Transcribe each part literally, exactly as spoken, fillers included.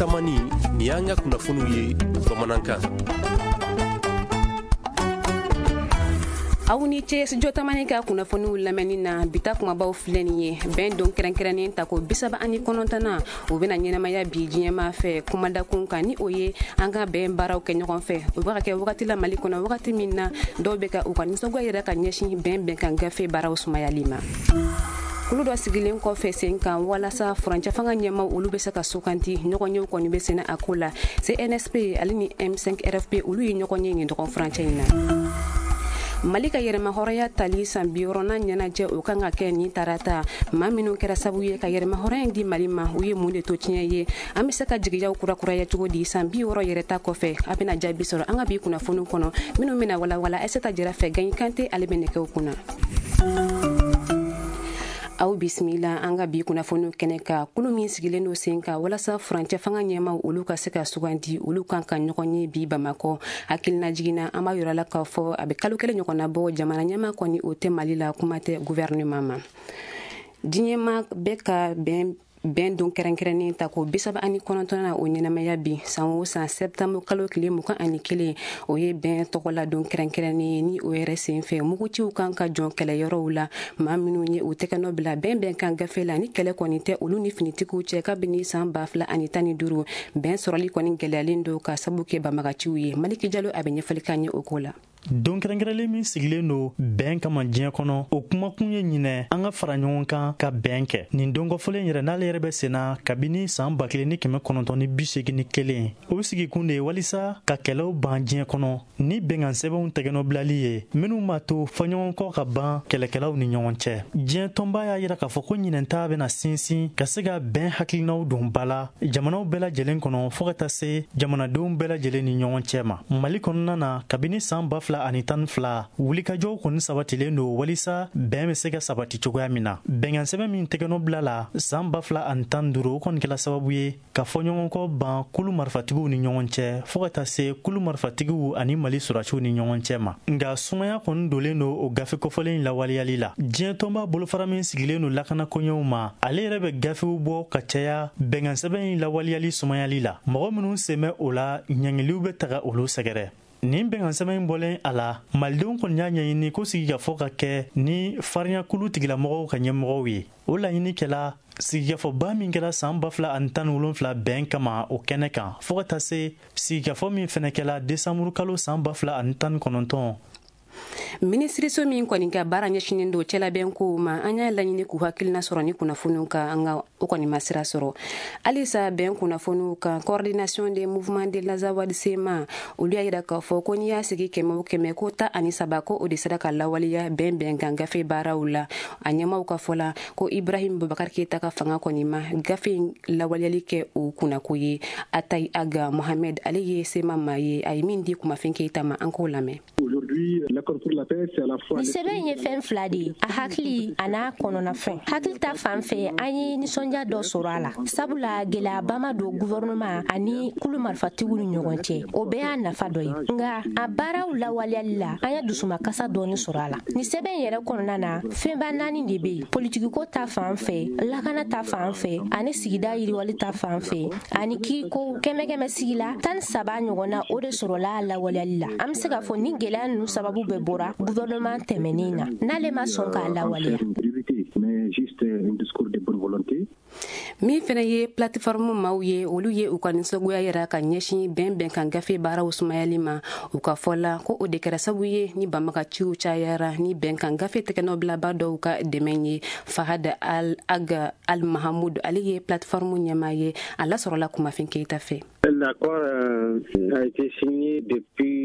Tamani, nin y'an ka kunnafoniw ye bamanankan. Aw ni ce Studio Tamani ka kunnafoniw lamɛnni na. Bita kumabaw filɛ nin ye. Bɛn don kɛrɛnkɛrɛnnen ta ko bisaba ani kɔnɔntɔnnan, o bɛna ɲɛnamaya bi diɲɛmaa fɛ kumadakun kan, ni o ye an ka bɛn baaraw kɛ ɲɔgɔn fɛ. O bɛ ka kɛ wagati la Mali kɔnɔ, wagati min na dɔw bɛ ka u ka nisɔngoya yɛrɛ ka ɲɛsin bɛn bɛnkan gafe baaraw sumayali ma. Kulu dɔ sigilen kɔfɛ sen kan walasa furancɛ fanga ɲɛmaw olu bɛ se ka suganti, ɲɔgɔnyew kɔni bɛ senna a ko la. C N S P ale ni M cinq R F P, olu ye ɲɔgɔn ye nin dɔgɔn furancɛ in na. Mali ka yɛrɛma hɔrɔnya tali san bi wɔɔrɔnan ɲɛnajɛ, o kan ka kɛ nin tarata. Maa minnu kɛra sababu ye ka yɛrɛma hɔrɔnya in di Mali ma, u ye mun de to tiɲɛ ye? An bɛ se ka jigiyaw kurakuraya cogo di san bi wɔɔrɔ yɛrɛ ta kɔfɛ? A bɛna jaabi sɔrɔ an ka bi kunnafoniw kɔnɔ minnu bɛna walawala Aïssata Jara fɛ. Gaɲi Kante, ale bɛ nɛgɛw kunna. Aw bisimila an ka bi kunnafoniw kɛnɛ kan. Kulu min sigilen don sen kan walasa furancɛ fanga ɲɛmaw olu ka se ka sugandi, olu kan ka ɲɔgɔn ye bi Bamakɔ. Hakilina jiginna, an b'a yira la k'a fɔ a bɛ kalo kelen ɲɔgɔnna bɔ, jamana ɲɛma kɔni o tɛ Mali la, kuma tɛ gouvernement ma. Diɲɛma bɛ ka bɛn bɛn don kɛrɛnkɛrɛnnen ta ko bisaba ani kɔnɔntɔn na, o ɲɛnamaya bi. San o san, sɛptanburu kalo tile mugan ani kelen, o ye bɛn tɔgɔla don kɛrɛnkɛrɛnnen ye. Ni o yɛrɛ sen fɛ, muguciw kan ka jɔn kɛlɛyɔrɔw la. Maa minnu ye u tɛgɛ nɔ bila bɛn bɛn kan gafe la, ni kɛlɛ kɔni tɛ olu ni finitigiw cɛ kabini san ba fila ani tan ni duuru, bɛn sɔrɔli kɔni gɛlɛyalen don ka sabu kɛ banbagaciw ye. Maliki Jalo, a bɛ ɲɛfɔli k'an ye o ko la. Don kɛrɛnkɛrɛnlen min sigilen don bɛn kama diɲɛ kɔnɔ, o kumakun ye ɲinɛ an ka fara ɲɔgɔn kan ka bɛn kɛ. Nin don kɔfɔlen yɛrɛ, n'ale yɛrɛ bɛ senna kabini saan ba kelen ni kɛmɛ kɔnɔntɔn ni bi segin ni kelen, o sigikun de ye walisa ka kɛlɛw ban diɲɛ kɔnɔ ni bɛnkan sɛbɛnw tɛgɛnɔbilali ye minw b'a to fɔɲɔgɔnkɔ ka ban kɛlɛkɛlaw ni ɲɔgɔn cɛ. Diɲɛ tɔnba y'a yira k'a fɔ ko ɲinɛnta bɛna sinsin ka se ka bɛn hakilinaw don ba la jamanaw bɛɛ lajɛlen kɔnɔ, fɔɔ ka taa se jamanadenw bɛɛ lajɛlen ni ɲɔgɔn cɛ ma. Mali kɔnɔna na, kabini saan ba fila ani tan ni fila, wulikajɔw kɔni sabatilen don walisa bɛn bɛ se ka sabati cogoya min na. Bɛnkan sɛbɛn min tɛgɛnɔ bila la saan ba fila ani tan duuru, o kɔni kɛla sababu ye ka fɔɲɔgɔnkɔ ban kulu marifatigiw ni ɲɔgɔn cɛ, fɔɔ ka taa se kulu marifatigiw ani Mali sɔrɔdasiw ni ɲɔgɔn cɛ ma. Nka sumaya kɔni donnen don o gafe kɔfɔlen lawaleyali la. Diɲɛ tɔnba bolofara min sigilen don lakana koɲɛw ma, ale yɛrɛ bɛ gafew bɔ ka caya bɛnkan sɛbɛn in lawaleyali sumayali la. Mɔgɔ minw sen bɛ o la, ɲangiliw bɛ taga olu sɛgɛrɛ. Nin bɛnkan sɛbɛn in bɔlen a la, malidenw kɔni y'a ɲɛɲini ko sigikafɔ ka kɛ ni farinyakulu tigilamɔgɔw ka ɲɛmɔgɔw ye. O laɲini kɛla sigikafɔba min kɛra saan ba fila ani tan ni wolonfila bɛn kama o kɛnɛ kan, fɔɔ ka taa se sigikafɔ min fɛnɛ kɛla desanburu kalo saan ba fila ani tan ni kɔnɔntɔn. Minisiriso min kɔni ka baara ɲɛsinen don cɛlabɛn kow ma, an y'a laɲini k'u hakilina sɔrɔ ni kunnafoniw kan, an ka o kɔni ma sira sɔrɔ halisa. Bɛn kunnafoniw kan, Coordination des mouvements de l'Azawad, C M A, olu y'a yira k'a fɔ ko n'i y'a sigi kɛmɛ o kɛmɛ, ko ta ani saba ko o de sera ka lawaleya bɛn bɛnkan gafe baaraw la. A ɲɛmaw ka fɔ la ko Ibrahim Bubakar Keyita ka fanga kɔni ma gafe in lawaleyali kɛ o kunnako ye. Atayi Aga Mohamed, ale ye C M A maa ye, a ye min di Kumafin Keyita ma, an k'o lamɛn. Nin sɛbɛn in ye fɛn fila de ye, a hakili a n'a kɔnɔnafɛn. Hakili ta fan fɛ, an ye nisɔndiya dɔ sɔrɔ a la, sabula gɛlɛyaba ma don gouvernement ani kulu marifatigiw ni ɲɔgɔn cɛ. O bɛɛ y'a nafa dɔ ye. Nka a baaraw lawaleyali la, an ye dusumakasa dɔɔni sɔrɔ a la. Nin sɛbɛn in yɛrɛ kɔnɔna na, fɛnba naani de bɛ yen: politikiko ta fan fɛ, lakana ta fan fɛ, ani sigida yiriwali ta fan fɛ, ani kiiko. Kɛmɛ kɛmɛ sigi la, tan ni saba ɲɔgɔn na, o de sɔrɔla a lawaleyali la. An bɛ se k'a fɔ ni gɛlɛya ninnu sababu bɛɛ bɔra gouvernement tɛmɛnen na, n'ale ma sɔn k'a lawaleya. Min fɛnɛ ye plateforme maaw ye, olu ye u ka nisɔngoya yira ka ɲɛsin bɛn bɛnkan gafe baaraw sumayali ma. U ka fɔ la ko o de kɛra sababu ye ni banbagaciw cayara ni bɛnkan gafe tɛgɛnɔbilaba dɔw ka dɛmɛ ye. Fahad Al Aga Al Mahamud, ale ye plateforme ɲɛmaa ye, a lasɔrɔla Kumafin Keyita fɛ.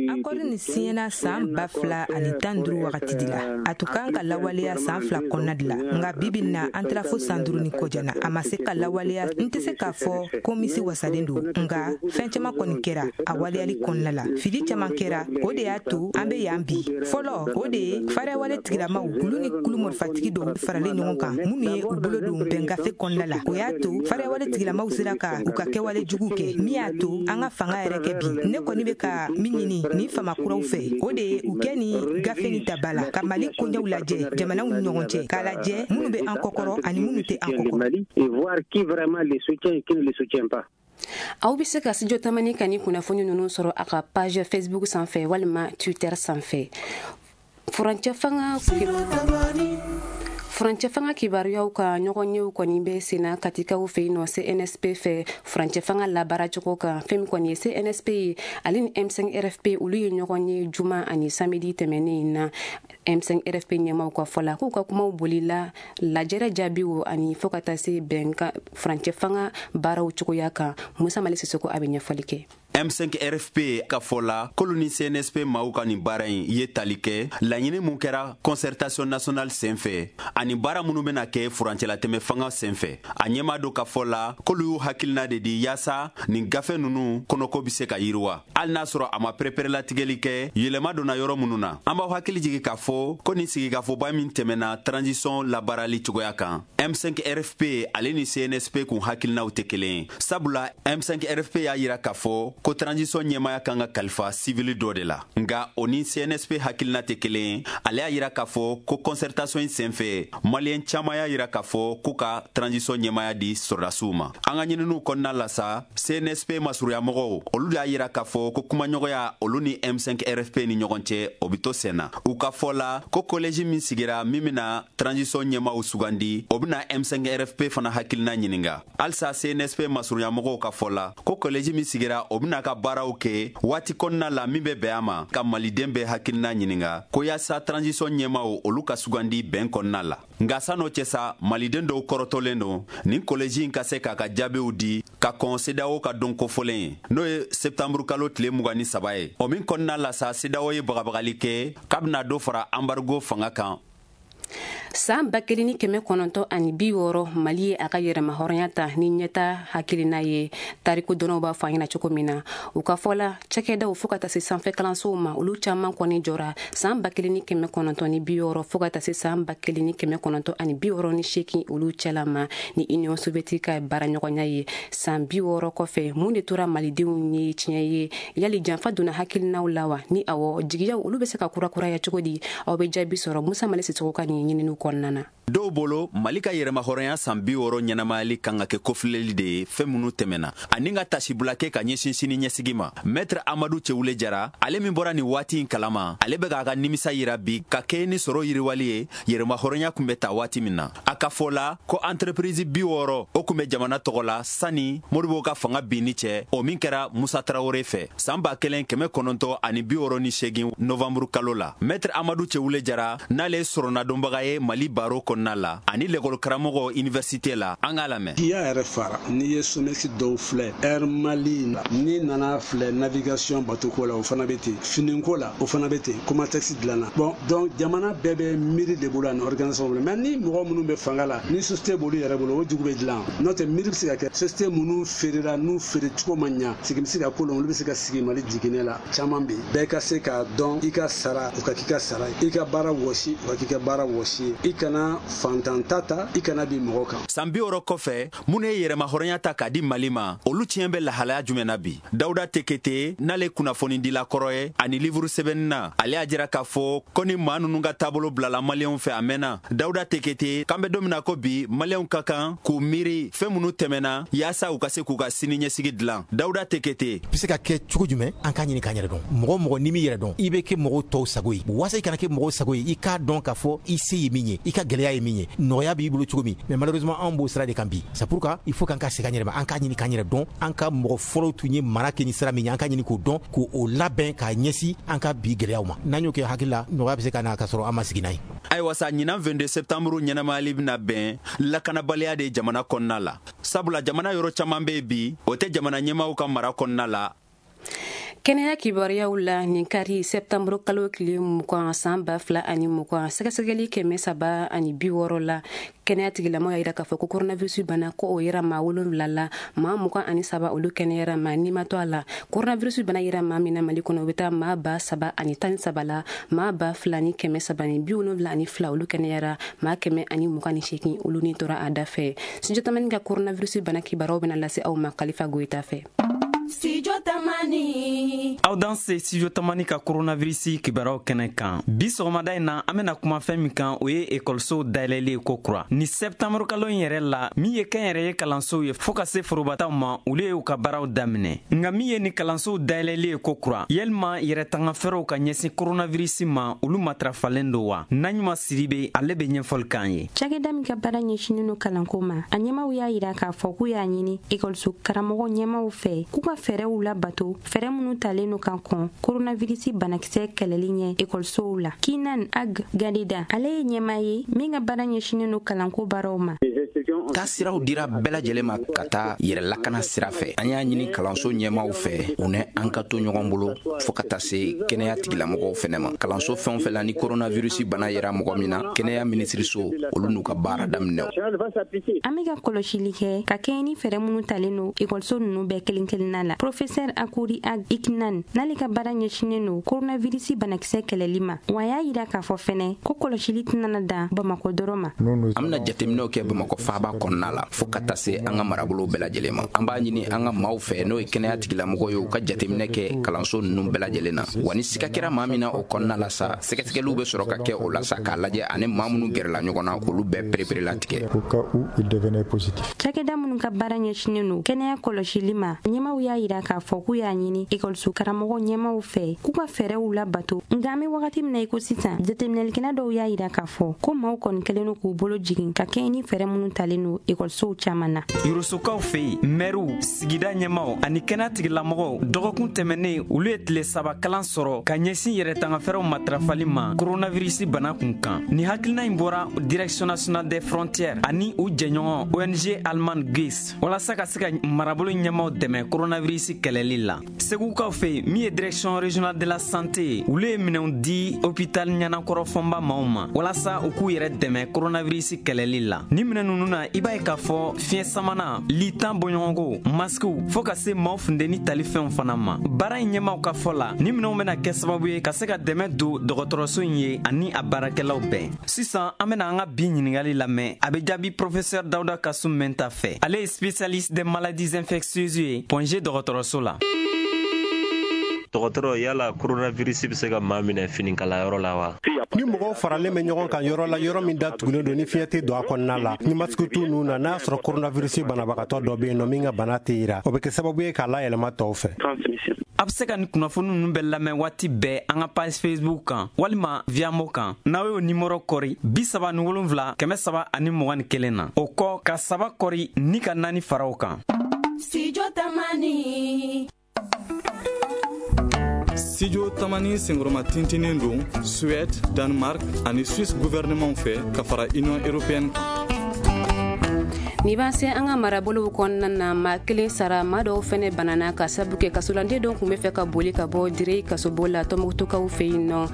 Accord nin siɲɛna saan ba fila ani tan duuru wagati de la. A tun kan ka lawaleya saan fila kɔnɔna de la, nka bibi na, an taara fo san duuru ni kɔjana, a ma se ka lawaleya. N tɛ se k'a fɔ ko misi wasalen don, nka fɛn caman kɔni kɛra a waleyali kɔnɔna la. Fili caman kɛra, o de y'a to an be yan bi. Fɔlɔ, o de ye fariyawale tigilamaw, olu ni kulu marifatigi dɔw faralen ɲɔgɔn kan, minnu ye u bolo don bɛn gafe kɔnɔna la. O y'a to fariyawale tigilamaw sera ka u ka kɛwale jugu kɛ, min y'a to an ka fanga yɛrɛ kɛ bi. Ne kɔni bɛ ka min ɲini ni fama kuraw fɛ, o de ye u kɛ ni gafe ni ta ba la ka Mali koɲɛw lajɛ jamanaw ni ɲɔgɔn cɛ, k'a lajɛ minnu bɛ an kɔkɔrɔ ani minnu tɛ an kɔkɔrɔ. Et voir qui vraiment les soutient et qui ne les soutient pas. Aw bɛ se ka Studio Tamani ka ni kunnafoni ninnu sɔrɔ a ka page Facebook sanfɛ walima Twitter sanfɛ. Furancɛ fanga furancɛ fanga kibaruyaw ka ɲɔgɔnyew kɔni bɛ senna Katikaw fɛ yen nɔ C N S P fɛ furancɛ fanga labaaracogo kan. Fɛn min kɔni ye C N S P ye, ale ni M cinq R F P olu ye ɲɔgɔn ye juma ani samedi tɛmɛnen in na. M cinq R F P ɲɛmaaw ka fɔ la k'u ka kumaw bolila lajɛrɛ jaabiw ani fo ka taa se bɛnkan furancɛ fanga baaraw cogoya kan. Musa Mali Sisoko a bɛ ɲɛfɔli kɛ. M cinq R F P ka fɔ la k'olu ni C N S P maaw ka nin baara in ye tali kɛ laɲini mun kɛra concertation nationale senfɛ ani baara minnu bɛna kɛ furancɛlatɛmɛ fanga senfɛ. A ɲɛmaa dɔ ka fɔ la k'olu y'u hakilina de di yaasa nin gafe ninnu kɔnɔko bɛ se ka yiriwa, hali n'a sɔrɔ a ma pereperelatigɛli kɛ yɛlɛma donna yɔrɔ minnu na. An b'aw hakili jigin k'a fɔ ko nin sigikafɔba min tɛmɛna transition labaarali cogoya kan, M cinq R F P ale ni C N S P kun hakilinaw tɛ kelen ye. Sabula M cinq R F P y'a yira k'a fɔ ko transition ɲɛmaya kan ka kalifa sivili dɔ de la, nka o ni C N S P hakilina tɛ kelen ye. Ale y'a yira k'a fɔ ko concertation in senfɛ maliyɛn caman y'a yira k'a fɔ k'u ka transition ɲɛmaya di sɔrɔdasiw ma. An ka ɲininiw kɔnɔna la sa, C N S P masurunyamɔgɔw olu de y'a yira k'a fɔ ko kumaɲɔgɔnya olu ni M cinq R F P ni ɲɔgɔn cɛ o bɛ to sen na. U ka fɔ la ko collège min sigira min bɛna transition ɲɛmaw sugandi, o bɛna M cinq R F P fana hakilina ɲininka. Halisa C N S P masurunyamɔgɔw ka fɔ la ko collège min sigira o bɛna ka baaraw kɛ waati kɔnɔna la min bɛ bɛn a ma ka maliden bɛɛ hakilina ɲininka ko yaasa transition ɲɛmaw olu ka sugandi bɛn kɔnɔna la. Nka san'o cɛ sa, maliden dɔw kɔrɔtɔlen don nin collège in ka se k'a ka jaabiw di ka kɔn CEDEAO ka don kofɔlen ye, n'o ye septembre kalo tile mugan ni saba ye. O min kɔnɔna la sa, CEDEAO ye bagabagali kɛ k'a bɛna dɔ fara embargo fanga kan. San ba kelen ni kɛmɛ kɔnɔntɔn ani bi wɔɔrɔ, Mali ye a ka yɛrɛma hɔrɔnya ta ni ɲɛta hakilina ye. Tariku dɔnnaw b'a fɔ an ɲɛna cogo min na, u ka fɔ la cakɛdaw fo ka taa se sanfɛ kalansow ma, olu caman kɔni jɔra san ba kelen ni kɛmɛ kɔnɔntɔn ni bi wɔɔrɔ fo ka taa se san ba kelen ni kɛmɛ kɔnɔntɔn ani bi wɔɔrɔ ni seegin olu cɛla ma ni Union soviétique ka baaraɲɔgɔnya ye. San bi wɔɔrɔ kɔfɛ, mun de tora malidenw ye tiɲɛ ye? Yali janfa donna hakilinaw la wa? Ni awɔ, jigiyaw olu bɛ se ka kurakuraya cogo di? Aw bɛ jaabi sɔrɔ Musa Mali Sisoko ka nin ɲininiw kɔnɔna na. Dɔw bolo Mali ka yɛrɛmahɔrɔnya san bi wɔɔrɔ ɲɛnamayali kan ka kɛ kofilɛli de ye fɛn minnu tɛmɛna ani ka tasibila kɛ ka ɲɛsin sini ɲɛsigi ma. Maître Amadu Cɛwule Jara, ale min bɔra nin waati in kalama, ale bɛ k'a ka nimisa yira bi ka kɛ ni sɔrɔ yiriwali ye yɛrɛmahɔrɔnya kun bɛ ta waati min na. A ka fɔ la ko entreprise bi wɔɔrɔ o kun bɛ jamana tɔgɔ la sani Modibo ka fanga binni cɛ, o min kɛra Musa Tarawele fɛ san ba kelen kɛmɛ kɔnɔntɔn ani bi wɔɔrɔ ni seegin novembre kalo la. Maître Amadu Cɛwule Jara n'ale ye sɔrɔnadonbaga ye Mali baro kɔnɔna la ani lekɔli karamɔgɔ université la, an k'a lamɛn. Kiya yɛrɛ fara n'i ye SOMEX dɔw filɛ, Air Mali n'i nana filɛ navigation bateau ko la o fana bɛ ten, finiko la o fana bɛ ten, Comatex dilanna. Bon donc jamana bɛɛ bɛ miiri de bolo ani organisation bolo, mais ni mɔgɔ minnu bɛ fanga la ni société b'olu yɛrɛ bolo o jugu bɛ dilan. N'o tɛ miiri bɛ se ka kɛ société minnu feerela n'u feere cogo ma ɲa, sigi bɛ se ka ko la, olu bɛ se ka sigi Mali jiginɛ la caman bɛ yen. Bɛɛ ka se k'a dɔn i ka sara o ka k'i ka sara ye, i ka baara wɔsi o ka k'i ka baara wɔsi ye, i kana fantan ta ta, i kana bi mɔgɔ kan. San bi wɔɔrɔ kɔfɛ, minnu ye yɛrɛmahɔrɔnya ta k'a di Mali ma, olu tiɲɛ bɛ lahalaya jumɛn na bi? Dawuda Tekete n'ale kunnafonidila kɔrɔ ye ani livre sɛbɛnni na, ale y'a jira k'a fɔ ko ni maa ninnu ka taabolo bilala maliyɛnw fɛ a mɛnna. Dawuda Tekete k'an bɛ don min na ko bi, maliyɛnw ka kan k'u miiri fɛn minnu tɛmɛna yaasa u ka se k'u ka sini ɲɛsigi dilan. Dawuda Tekete bɛ se ka kɛ cogo jumɛn? An k'a ɲini k'an yɛrɛ dɔn. Mɔgɔ mɔgɔ n'i m'i yɛrɛ dɔn, i bɛ kɛ mɔgɔw tɔw sago ye. Waasa i kana kɛ mɔgɔw sago ye, i k'a dɔn k'a fɔ i se ye min ye, i ka gɛlɛya ye min ye, nɔgɔya b'i bolo cogo min. Mais malheureusement anw b'o sira de kan bi. C'est pourquoi il faut k'an ka segin an yɛrɛ ma, an k'a ɲini k'an yɛrɛ dɔn, an ka mɔgɔ fɔlɔw tun ye mara kɛ ni sira min ye, an k'a ɲini k'o dɔn, k'o labɛn k'a ɲɛsin an ka bi gɛlɛyaw ma. N'an y'o kɛ hakili la, nɔgɔya bɛ se ka na k'a sɔrɔ an ma sigi n'a ye. Ayiwa sa, ɲinan vingt-deux septembre ɲɛnamayali bɛna bɛn lakanabaliya de jamana kɔnɔna la, sabula jamana yɔrɔ caman bɛ yen bi o tɛ jamana ɲɛmaaw ka mara kɔnɔna la. Kɛnɛya kibaruyaw la, nin kari septembre kalo tile mugan san ba fila ani mugan, sɛgɛsɛgɛli kɛmɛ saba ani bi wɔɔrɔ la, kɛnɛya tigilamɔgɔw y'a jira k'a fɔ ko coronavirus bana ko o yera maa wolonwula la, maa mugan ani saba olu kɛnɛyara, maa ni ma to a la. Coronavirus bana yera maa min na Mali kɔnɔ, o bɛ taa maa ba saba ani tan ni saba la, maa ba fila ni kɛmɛ saba ni bi wolonwula ani fila olu kɛnɛyara, maa kɛmɛ ani mugan ni seegin olu ni tora a da fɛ. Studio Tamani ka coronavirus bana kibaruyaw bɛna lase aw ma Kalifa Goyita fɛ. Studio Tamani. Aw danse Studio Tamani ka coronavirus kibaruyaw kɛnɛ kan. Bi sɔgɔmada in na, an bɛna kuma fɛn min kan, o ye ekɔlisow dayɛlɛli ye ko kura. Ni septembre kalo in yɛrɛ la, min ye kɛnyɛrɛye kalansow ye fɔɔ ka se forobataw ma, olu ye u ka baaraw daminɛ. Nka min ye ni kalansow dayɛlɛli ye ko kura, yalima yɛrɛtanga fɛɛrɛw ka ɲɛsin coronavirus ma, olu matarafalen don wa? Naɲuma Sidibe, ale bɛ ɲɛfɔli k'an ye. Cakɛda min ka baara ɲɛsinnen don kalanko ma, a ɲɛmaw y'a yira k'a fɔ k'u y'a ɲini ekɔliso karamɔgɔ ɲɛmaw fɛ k'u ka fɛɛrɛw labato, fɛɛrɛ minnu talen no kan kɔn coronavirus banakisɛ kɛlɛli ɲɛ ekɔlisow la. Kinan Ag Gadida, ale ye ɲɛmaa ye min ka baara ɲɛsinnen don kalanko baaraw ma. Taasiraw dira bɛɛ lajɛlen ma ka taa yɛrɛ lakana sira fɛ. An y'a ɲini kalanso ɲɛmaaw fɛ, u ni an ka to ɲɔgɔn bolo fɔɔ ka taa se kɛnɛya tigilamɔgɔw fɛnɛ ma. Kalanso fɛn o fɛn la ni coronavirus bana yera mɔgɔ min na, kɛnɛya minisiriso olu n'u ka baara daminɛ. An bɛ ka kɔlɔsili kɛ ka kɛɲɛ ni fɛɛrɛ minnu talen don ekɔliso ninnu bɛɛ kelen kelenna la. Professeur Akouri Ag Iknan, n'ale ka baara ɲɛsinnen don coronavirus banakisɛ kɛlɛli ma, wa a y'a yira k'a fɔ fɛnɛ ko kɔlɔsili tɛna dan Bamakɔ dɔrɔn ma. An bɛna jateminɛw kɛ Bamakɔ faaba kɔnɔna la fɔɔ ka taa se an ka marabolow bɛɛ lajɛlen ma. An b'a ɲini an ka maaw fɛ, n'o ye kɛnɛya tigilamɔgɔw ye, u ka jateminɛ kɛ kalanso ninnu bɛɛ lajɛlen na. Wa ni siga kɛra maa min na o kɔnɔna la sa, sɛgɛsɛgɛliw bɛ sɔrɔ ka kɛ o la sa, k'a lajɛ ani maa minnu gɛrɛla ɲɔgɔn na, k'olu bɛɛ pereperelatigɛ. Cakɛda minnu ka baara ɲɛsinnen don kɛnɛya kɔlɔsili ma, ɲɛmaw y'a yira k'a fɔ k'u y'a ɲini ekɔliso karamɔgɔ ɲɛmaw fɛ k'u ka fɛɛrɛw labato. Nka an bɛ wagati min na i ko sisan, jateminɛlikɛla dɔw y'a yira k'a fɔ ko maaw kɔni kɛlen don k'u bolo jigin ka kɛɲɛ ni fɛɛrɛ minnu talen don ekɔlisow caman na. Yorosokaw fɛ yen, mɛriw, sigida ɲɛmaw ani kɛnɛya tigilamɔgɔw dɔgɔkun tɛmɛnen, olu ye tile saba kalan sɔrɔ ka ɲɛsin yɛrɛtangafɛɛrɛw matarafali ma coronavirus bana kun kan. Ni hakilina in bɔra Direction nationale des frontières ani u jɛɲɔgɔn O N G Allemagne G I S walasa ka se ka marabolo ɲɛmaw dɛmɛ coronavirus kɛlɛli la. Segukaw fɛ yen, min ye Direction régionale de la santé ye, olu ye minɛnw di hôpital Ɲanakɔrɔ Fɔnba maaw ma walasa u k'u yɛrɛ dɛmɛ coronavirus kɛlɛli la. Ni minɛn ninnu na, i b'a ye k'a fɔ fiɲɛ samana, litan bɔɲɔgɔnko, maskiw, fɔɔ ka se maaw funteni talifɛnw fana ma. Baara in ɲɛmaw ka fɔ la, ni minɛnw bɛna kɛ sababu ye ka se ka dɛmɛ don dɔgɔtɔrɔso in ye ani a baarakɛlaw bɛɛ. Sisan an bɛna an ka bi ɲininkali lamɛn, a bɛ jaabi professeur Dawuda Kasum Mɛnta fɛ. Ale ye spécialiste des maladies infectieuses ye Point G dɔgɔtɔrɔso la. Dɔgɔtɔrɔ, yala coronavirus bɛ se ka maa minɛ finikalayɔrɔ la wa? Ni mɔgɔw faralen bɛ ɲɔgɔn kan yɔrɔ la, yɔrɔ min datugulen don, ni fiɲɛ tɛ don a kɔnɔna la, ni masque t'u nun na, n'a y'a sɔrɔ coronavirus banabagatɔ dɔ bɛ yen nɔ min ka bana tɛ yira, o bɛ kɛ sababu ye k'a layɛlɛma tɔw fɛ. A bɛ se ka nin kunnafoni ninnu bɛɛ lamɛn waati bɛɛ an ka page Facebook kan walima Viamo kan. N'aw y'o nimɔrɔ kɔri bi saba ni wolonfila kɛmɛ saba ani mugan ni kelen na, o kɔ ka saba kɔri ni ka naani fara o kan. Studio Tamani. Studio Tamani senkɔrɔma tintinen don Suède, Danemark ani Suisse gouvernement fɛ ka fara Union européenne kan. Ni b'an se an ka marabolow kɔnɔna na, maa kelen sara, maa dɔw fɛnɛ banana ka sabu kɛ kasolanden dɔw tun bɛ fɛ ka boli ka bɔ Diré kasobo la Tɔnbukutukaw fɛ yen nɔ,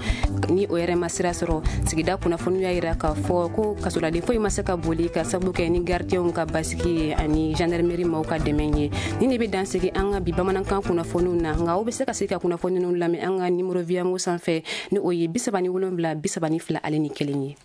ni o yɛrɛ ma sira sɔrɔ. Sigida kunnafoniw y'a yira k'a fɔ ko kasoladen foyi ma se ka boli ka sabu kɛ ni gardienw ka basigi ye ani gendarmerie maaw ka dɛmɛ ye. Ni ne bɛ dan sigi an ka bi bamanankan kunnafoniw na, nka aw bɛ se ka se ka kunnafoni ninnu lamɛn an ka nimoro Viamo sanfɛ, ni o ye bi saba ni wolonwula bi saba ni fila ale ni kelen ye.